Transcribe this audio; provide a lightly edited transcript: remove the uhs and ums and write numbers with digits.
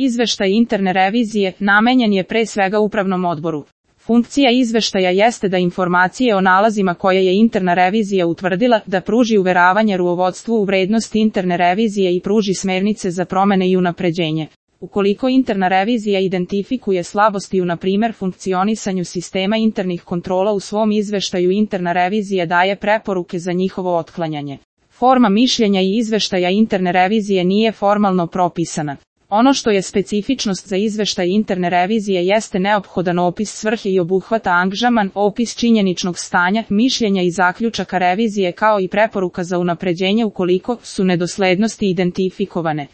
Izveštaj interne revizije namenjen je pre svega upravnom odboru. Funkcija izveštaja jeste da informacije o nalazima koje je interna revizija utvrdila da pruži uveravanje rukovodstvu u vrednost interne revizije i pruži smernice za promene i unapređenje. Ukoliko interna revizija identifikuje slabosti u na primjer funkcionisanju sistema internih kontrola u svom izveštaju, interna revizija daje preporuke za njihovo otklanjanje. Forma mišljenja i izveštaja interne revizije nije formalno propisana. Ono što je specifičnost za izveštaj interne revizije jeste neophodan opis svrhe i obuhvata angažman, opis činjeničnog stanja, mišljenja i zaključaka revizije kao i preporuka za unapređenje ukoliko su nedoslednosti identifikovane.